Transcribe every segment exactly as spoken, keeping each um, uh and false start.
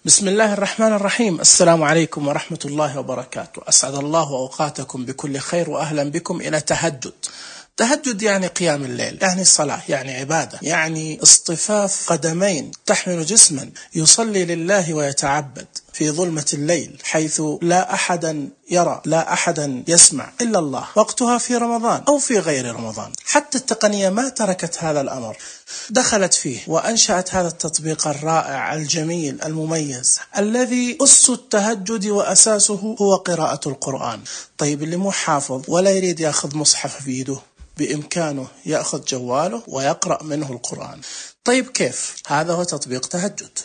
بسم الله الرحمن الرحيم. السلام عليكم ورحمة الله وبركاته. أسعد الله أوقاتكم بكل خير وأهلا بكم إلى تهجد. تهجد يعني قيام الليل، يعني صلاة، يعني عبادة، يعني اصطفاف قدمين تحمل جسما يصلي لله ويتعبد في ظلمة الليل حيث لا أحدا يرى لا أحدا يسمع إلا الله. وقتها في رمضان أو في غير رمضان. حتى التقنية ما تركت هذا الأمر، دخلت فيه وأنشأت هذا التطبيق الرائع الجميل المميز الذي أس التهجد وأساسه هو قراءة القرآن. طيب اللي مو حافظ ولا يريد يأخذ مصحف في يده، بإمكانه يأخذ جواله ويقرأ منه القرآن. طيب كيف؟ هذا هو تطبيق تهجد.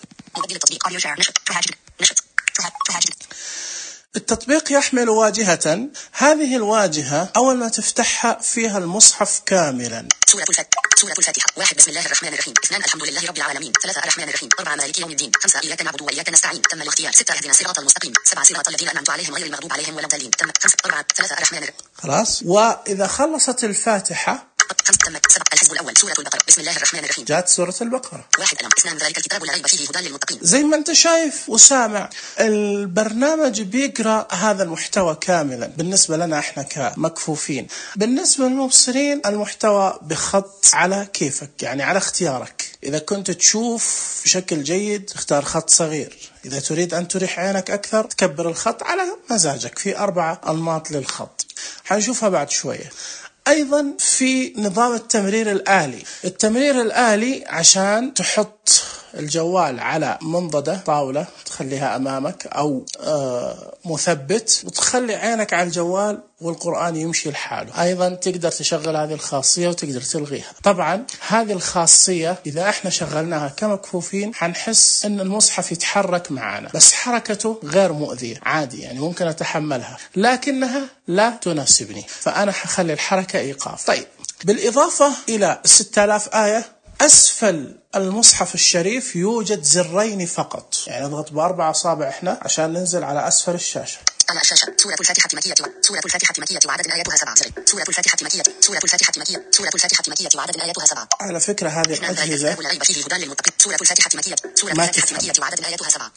التطبيق يحمل واجهة، هذه الواجهة أول ما تفتحها فيها المصحف كاملا. سورة الفاتحة. سورة الفاتحة. واحد بسم الله الرحمن الرحيم. اثنان الحمد لله رب العالمين. ثلاثة الرحمن الرحيم. أربعة مالك يوم الدين. خمسة إياك نعبد وإياك نستعين. تم الاختيار. ستة اهدنا الصراط المستقيم. سبعة صراط الذين أنعمت عليهم غير المغضوب عليهم ولا الضالين. تم. خمسة. أربعة. ثلاثة الرحمن الرحيم. خلاص. وإذا خلصت الفاتحة خمسة. تمت. سبعة. الحزب الأول. سورة البقرة. بسم الله الرحمن الرحيم. جاءت سورة البقرة. واحد. ألم. اثنان ذلك الكتاب لا ريب فيه هدى للمتقين. زي ما أنت شايف وسامع، البرنامج بيقرأ هذا المحتوى كاملا بالنسبة لنا احنا كمكفوفين. بالنسبة للمبصرين المحتوى بخط على كيفك، يعني على اختيارك. إذا كنت تشوف بشكل جيد اختار خط صغير، إذا تريد أن تريح عينك أكثر تكبر الخط على مزاجك. في أربعة أنماط للخط حنشوفها بعد شوية. أيضا في نظام التمرير الآلي. التمرير الآلي عشان تحط الجوال على منضدة طاولة تخليها أمامك أو آه مثبت وتخلي عينك على الجوال والقرآن يمشي لحاله. أيضا تقدر تشغل هذه الخاصية وتقدر تلغيها. طبعا هذه الخاصية إذا احنا شغلناها كمكفوفين حنحس أن المصحف يتحرك معنا، بس حركته غير مؤذية عادي، يعني ممكن أتحملها، لكنها لا تناسبني، فأنا حخلي الحركة إيقاف. طيب بالإضافة إلى ستة آلاف آية أسفل المصحف الشريف يوجد زرين فقط، يعني نضغط بأربع أصابع إحنا عشان ننزل على أسفل الشاشة. على الشاشة. سورة الفاتحة مكية. سورة الفاتحة مكية وعدد آياتها سبعة. سورة الفاتحة مكية. سورة الفاتحة مكية. سورة الفاتحة مكية وعدد آياتها سبعة. على فكرة هذه الأجهزة لا ريب فيه هدى للمتقين. سورة الفاتحة مكية. سورة الفاتحة مكية وعدد آياتها سبعة.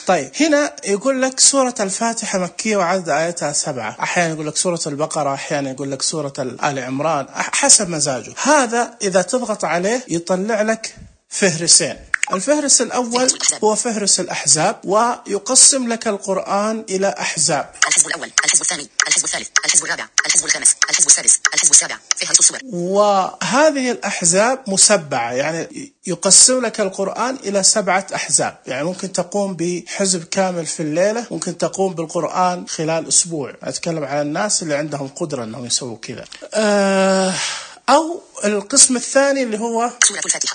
طيب هنا يقول لك سورة الفاتحة مكية وعدد آياتها سبعة، أحيانا يقول لك سورة البقرة، أحيانا يقول لك سورة آل عمران، حسب مزاجه. هذا إذا تضغط عليه يطلع لك فهرسين. الفهرس الأول هو فهرس الأحزاب، ويقسم لك القرآن إلى أحزاب. الحزب الأول، الحزب الثاني، الحزب الثالث، الحزب الرابع، الحزب الخامس، الحزب السادس، الحزب السابع، فهرس السور. وهذه الأحزاب مسبعة، يعني يقسم لك القرآن إلى سبعة أحزاب، يعني ممكن تقوم بحزب كامل في الليلة، ممكن تقوم بالقرآن خلال أسبوع. أتكلم على الناس اللي عندهم قدرة أنهم يسووا كذا. أه أو القسم الثاني اللي هو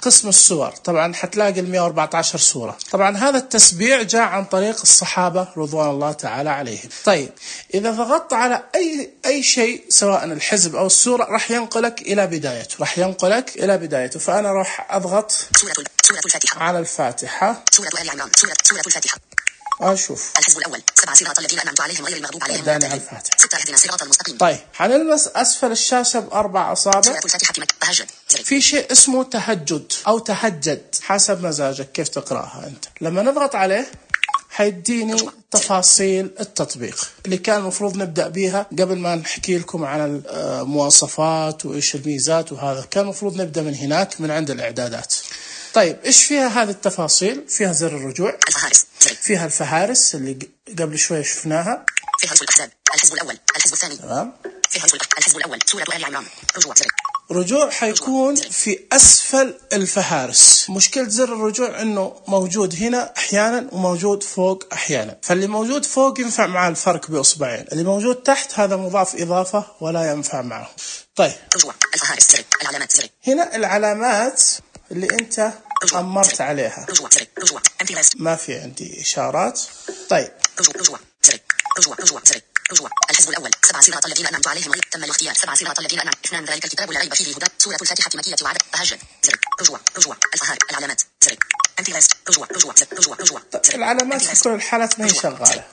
قسم السور. طبعا حتلاقي المئة وأربعة عشر سورة. طبعا هذا التسبيع جاء عن طريق الصحابة رضوان الله تعالى عليهم. طيب إذا ضغطت على أي أي شيء سواء الحزب أو السورة راح ينقلك إلى بدايته، راح ينقلك إلى بدايته. فأنا راح أضغط على الفاتحة. سورة آل عمران. سورة سورة الفاتحة. أشوف الحزب الأول. سبع صراط الذين أنعمت عليهم غير المغضوب عليهم ولا الضالين. الفاتحة. ستة اهدنا الصراط المستقيم. طيب حنلمس أسفل الشاشة بأربع أصابع. سورة الفاتحة. تهجد. في شيء اسمه تهجد أو تهجد حسب مزاجك كيف تقرأها أنت. لما نضغط عليه حيديني تفاصيل التطبيق اللي كان المفروض نبدأ بيها قبل ما نحكي لكم عن المواصفات وإيش الميزات، وهذا كان المفروض نبدأ من هناك من عند الإعدادات. طيب إيش فيها هذه التفاصيل؟ فيها زر الرجوع، الفهارس. فيها الفهارس اللي قبل شوي شفناها، فهرس الأحزاب، الحزب الأول، الحزب الثاني، تمام، فهرس الحزب الأول، سورة آل عمران، رجوع زر. رجوع حيكون في أسفل الفهارس. مشكلة زر الرجوع إنه موجود هنا أحيانا وموجود فوق أحيانا، فاللي موجود فوق ينفع مع الفرق بأصبعين، اللي موجود تحت هذا مضاف إضافة ولا ينفع معه. طيب رجوع الفهارس زر، العلامات زر. هنا العلامات اللي أنت أمرت عليها. رجوع زر، رجوع ما في عندي إشارات. طيب رجوع رجوع زر، رجوع رجوع زر. رجوع الحزب الأول. سبع صراط الذين أنعمت عليهم غير تم الاختيار. سبع صراط الذين أنعمت. اثنان ذلك الكتاب لا ريب فيه هدى. سورة الفاتحة مكية وعدد. تهجد. زر. رجوع رجوع الفهار. العلامات زر. انتظار. رجوع رجوع زر. رجوع رجوع. طيب العلامات في كل الحالات ما هي شغالة.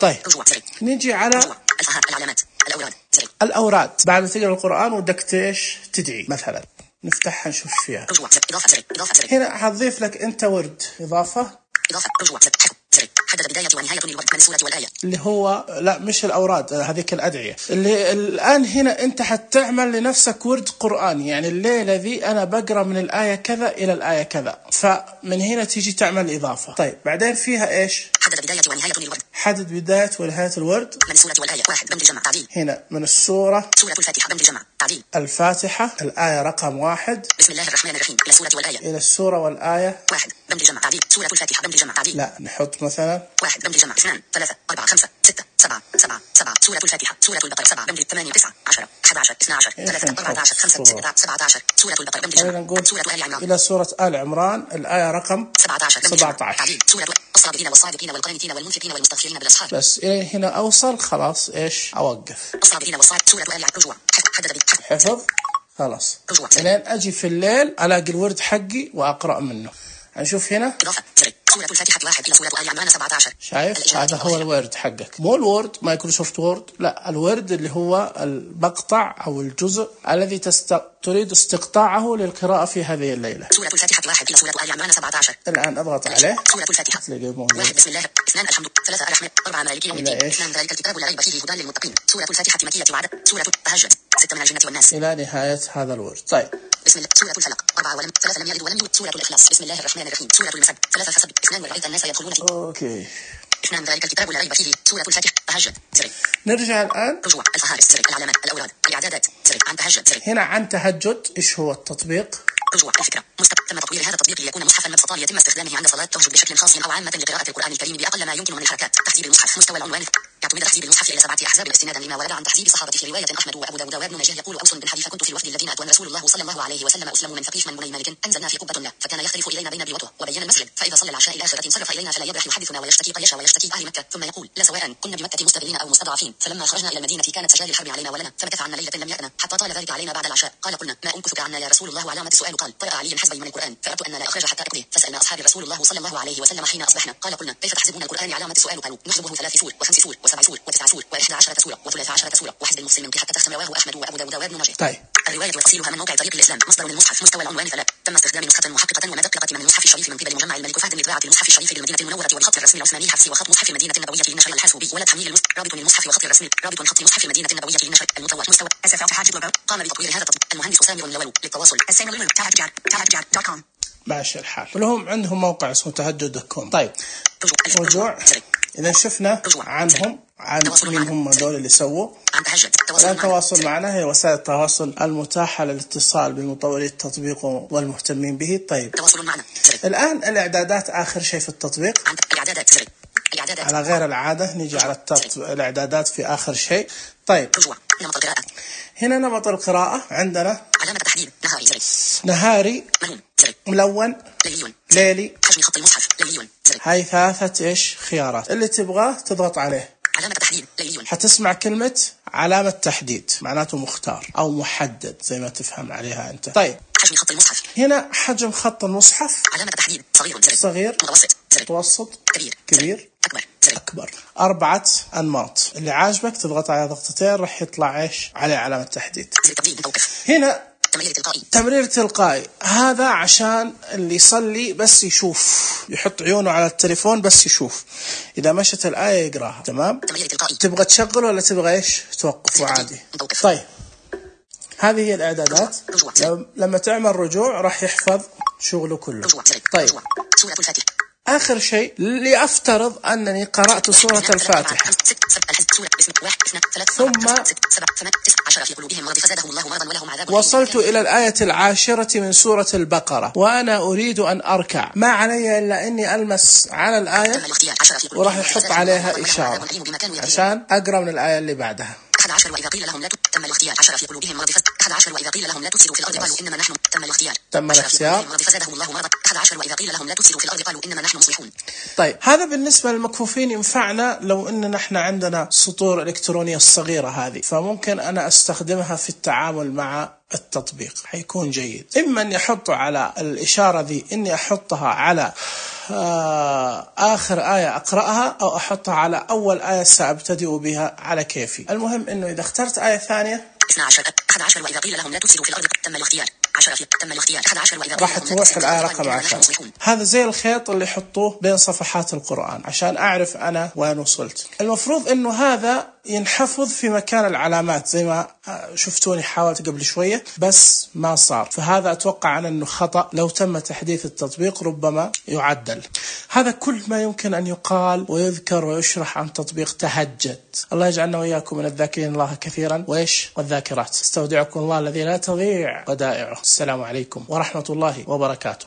طيب رجوع زر. نيجي على الفهار. العلامات. الأوراد زر. الأوراد. بعد تقرأ القرآن ودك تيش تدعي مثلا، نفتحها نشوف فيها. رجوع زر. إضافة زر. إضافة زر. هنا هتضيف لك أنت ورد إضافة. إضافة. رجوع زر. زر. ونهاية الورد من السورة والآية. اللي هو لا مش الأوراد، هذيك الأدعية. اللي الآن هنا أنت حتعمل لنفسك ورد قرآني، يعني الليلة ذي أنا بقرأ من الآية كذا إلى الآية كذا، فمن هنا تيجي تعمل إضافة. طيب بعدين فيها إيش؟ حدد بداية ونهاية الورد. حدد بداية ونهاية الورد من السورة والآية. واحد دمج جمع تعديل. هنا من السورة سورة الفاتحة دمج جمع تعديل. الفاتحة الآية رقم واحد. بسم الله الرحمن الرحيم إلى السورة والآية. إلى السورة والآية. واحد دمج جمع تعديل. سورة الفاتحة دمج جمع تعديل. لا نحط مثلا واحد دمج جمع اثنان ثلاثة أربعة خمسة ستة سبعة سبعة سبعة. سورة الفاتحة. سورة البقرة. سبعة دمج ثمانية تسعة عشرة أحد عشر اثنا عشر ثلاثة أربعة عشر خمسة ستة سبعة عشر. سورة البقرة دمج جمع. نقول سورة آل عمران. إلى سورة آل عمران الآية رقم سبعة عشر سبعة عشر. تعديل. سورة الصابرين والصادقين والقانتين والمنفقين والمستغفرين بالأسحار. بس إلى هنا أوصل خلاص إيش أوقف. الصابرين والصادقين. سورة آل عمران. رجوع. حدد حفظ خلاص. رجوع. لين أجي في الليل ألاقي الورد حقي وأقرأ منه. هنشوف هنا إضافة. سورة الفاتحة واحد إلى سورة آل عمران سبعة عشر. شايف هذا هو الورد حقك، مو الورد مايكروسوفت وورد، لا الورد اللي هو المقطع أو الجزء الذي تست... تريد استقطاعه للقراءة في هذه الليلة. سورة الفاتحة واحد إلى سورة آل عمران سبعة عشر. الآن أضغط عليه. سورة الفاتحة. واحد بسم الله. اثنان الحمد. ثلاثة الرحمن. أربعة مالك يوم الدين. اثنان ذلك الكتاب لا ريب فيه هدى للمتقين. سورة الفاتحة مكية وعدد. سورة التهجد. ستة من الجنة والناس. إلى نهاية هذا الورد. طيب. بسم الله. سورة الفلق. أربعة ولم ثلاثة لم يلد ولم يولد. سورة الإخلاص. بسم الله الرحمن الرحيم. سورة المسد. ثلاثة فسد. اثنان ورأيت الناس يدخلون فيه. أوكي. اثنان ذلك الكتاب لا ريب فيه. سورة الفاتحة. تهجد. زري. نرجع الآن. رجوع. الفهارس. زري. العلامات. الأوراد. الإعدادات. زري. عن تهجد. زري. هنا عن تهجد. إيش هو التطبيق؟ رجوع. الفكرة. مستقبل. تم تطوير هذا التطبيق ليكون مصحفا مبسطا ليتم استخدامه عند صلاة التهجد بشكل خاص أو عامة لقراءة القرآن الكريم بأقل ما يمكن من الحركات. تحزيب المصحف. مستوى العنوان. يعتمد تحزيب المصحف إلى سبعة أحزاب استنادا لما ورد عن تحزيب الصحابة في رواية أحمد وأبو داود وابن ماجه. يقول أوس بن حذيفة كنت في الوفد الذين أتوا رسول الله صلى الله عليه وسلم أسلم من ثقيف من بني مالك. أنزلنا في قبة له فكان يختلف إلينا بين بيوته وبين المسجد، فإذا صلى العشاء إلى آخرة انصرف إلينا فلا يبرح يحدثنا ويشتكي قيش ويشتكي أهل مكة، ثم يقول لا سواء كنا بمكة مستذلين أو مستضعفين. فلما خرجنا إلى المدينة كانت سجال الحرب علينا ولنا، فمكث عنا ليلة لم يأتنا حتى طال ذلك علينا بعد العشاء. قال قلنا ما أمكثك عنا يا رسول الله؟ وعلامة السؤال قال قرأ علي حزبي من القرآن فأردت أن لا أخرج حتى أقضيه، فسألنا أصحاب رسول الله صلى الله عليه وسلم حين أصبحنا قال قلنا كيف تحزبون القرآن؟ علامة السؤال قالوا نحسبه ثلاث سور وخمس سور وسبع سور وتسع سور وإحدى عشرة سورة وثلاث عشرة سورة وحزب المفصل من حتى تختم. رواه أحمد وأبو داود وابن ماجه. طيب الرواية وتفصيلها من موقع طريق الإسلام. مصدر من المصحف. مستوى العنوان فلا تم استخدام نسخة محققة ومدققة من المصحف الشريف من قبل مجمع الملك فهد لطباعة المصحف الشريف بالمدينة المنورة والخط الرسمي العثماني الحفصي وخط مصحف المدينة النبوية للنشر الحاسوبي ولا تحميل المصحف. رابط للمصحف وخط الرسمي. رابط خط مصحف المدينة النبوية للنشر المطور. مستوى أسف حاجب وبر. قام بتطوير هذا التطبيق المهندس سامر لولو. للتواصل السامر دوت كوم. ماشي الحال. ولهم عندهم موقع اسمه تهجد دوت كوم. طيب رجوع. إذا شفنا عنهم عن مين هم هذول اللي سووا الآن تواصل معنا. هي وسائل التواصل المتاحة للاتصال بمطوري التطبيق والمهتمين به. طيب تواصل معنا. الآن الإعدادات آخر شيء في التطبيق. الإعدادات. الإعدادات. على غير العادة نيجي على التط... الإعدادات في آخر شيء. طيب رجوع. نمط القراءة. هنا نمط القراءة عندنا علامة تحديد نهاري زري. نهاري ملون زري. ملون ليلي. ليلي. حجم خط المصحف ليلي زري. هاي ثلاثة إيش خيارات اللي تبغاه تضغط عليه. علامة تحديد ليلي. حتسمع كلمة علامة تحديد معناته مختار أو محدد زي ما تفهم عليها أنت. طيب حجم خط المصحف. هنا حجم خط المصحف. علامة تحديد صغير زري. صغير. متوسط زري. متوسط. كبير. كبير. أكبر زري. أكبر. أربعة أنماط. اللي عاجبك تضغط على ضغطتين راح يطلع إيش عليه علامة تحديد. زري تبديل متوقف. هنا تمرير تلقائي. تمرير تلقائي. هذا عشان اللي يصلي بس يشوف، يحط عيونه على التليفون بس يشوف، إذا مشت الآية يقراها. تمام. تمرير تلقائي. تبغى تشغل ولا تبغى إيش توقف عادي؟ طيب هذه هي الإعدادات. لما تعمل رجوع راح يحفظ شغله كله. طيب سورة الفاتحة. آخر شيء لأفترض أنني قرأت سورة الفاتحة ثم وصلت إلى الآية العاشرة من سورة البقرة وأنا أريد أن أركع، ما علي إلا أني ألمس على الآية وراح يحط عليها إشارة عشان أقرأ من الآية اللي بعدها. أحد عشر وإذا قيل لهم لا تم الاختيار عشر في قلوبهم مرض فزاد. أحد عشر وإذا قيل لهم لا تفسدوا في الأرض قالوا إنما نحن تم الاختيار. تم الاختيار. مرض فزادهم الله مرضا. أحد عشر وإذا قيل لهم لا تفسدوا في الأرض قالوا إنما نحن مصلحون. طيب هذا بالنسبة للمكفوفين ينفعنا لو إننا إحنا عندنا سطور إلكترونية الصغيرة هذه، فممكن أنا أستخدمها في التعامل مع التطبيق حيكون جيد. إما أني أحطه على الإشارة ذي إني أحطها على آخر آية أقرأها أو أحطها على أول آية سأبتدئ بها على كيفي. المهم إنه إذا اخترت آية ثانية اثنا عشر أحد عشر وإذا قيل لهم لا تفسدوا في الأرض تم الاختيار عشرة في تم الاختيار أحد عشر وإذا قيل راح لهم لا تروح تفسدوا الآية في الأرض رقم قالوا نحن عشرة. مصلحون. هذا زي الخيط اللي يحطوه بين صفحات القرآن عشان أعرف أنا وين وصلت. المفروض إنه هذا ينحفظ في مكان العلامات زي ما شفتوني حاولت قبل شوية بس ما صار، فهذا أتوقع أن أنه خطأ. لو تم تحديث التطبيق ربما يعدل. هذا كل ما يمكن أن يقال ويذكر ويشرح عن تطبيق تهجد. الله يجعلنا وإياكم من الذاكرين الله كثيرا وإيش والذاكرات. استودعكم الله الذي لا تضيع ودائعه. السلام عليكم ورحمة الله وبركاته.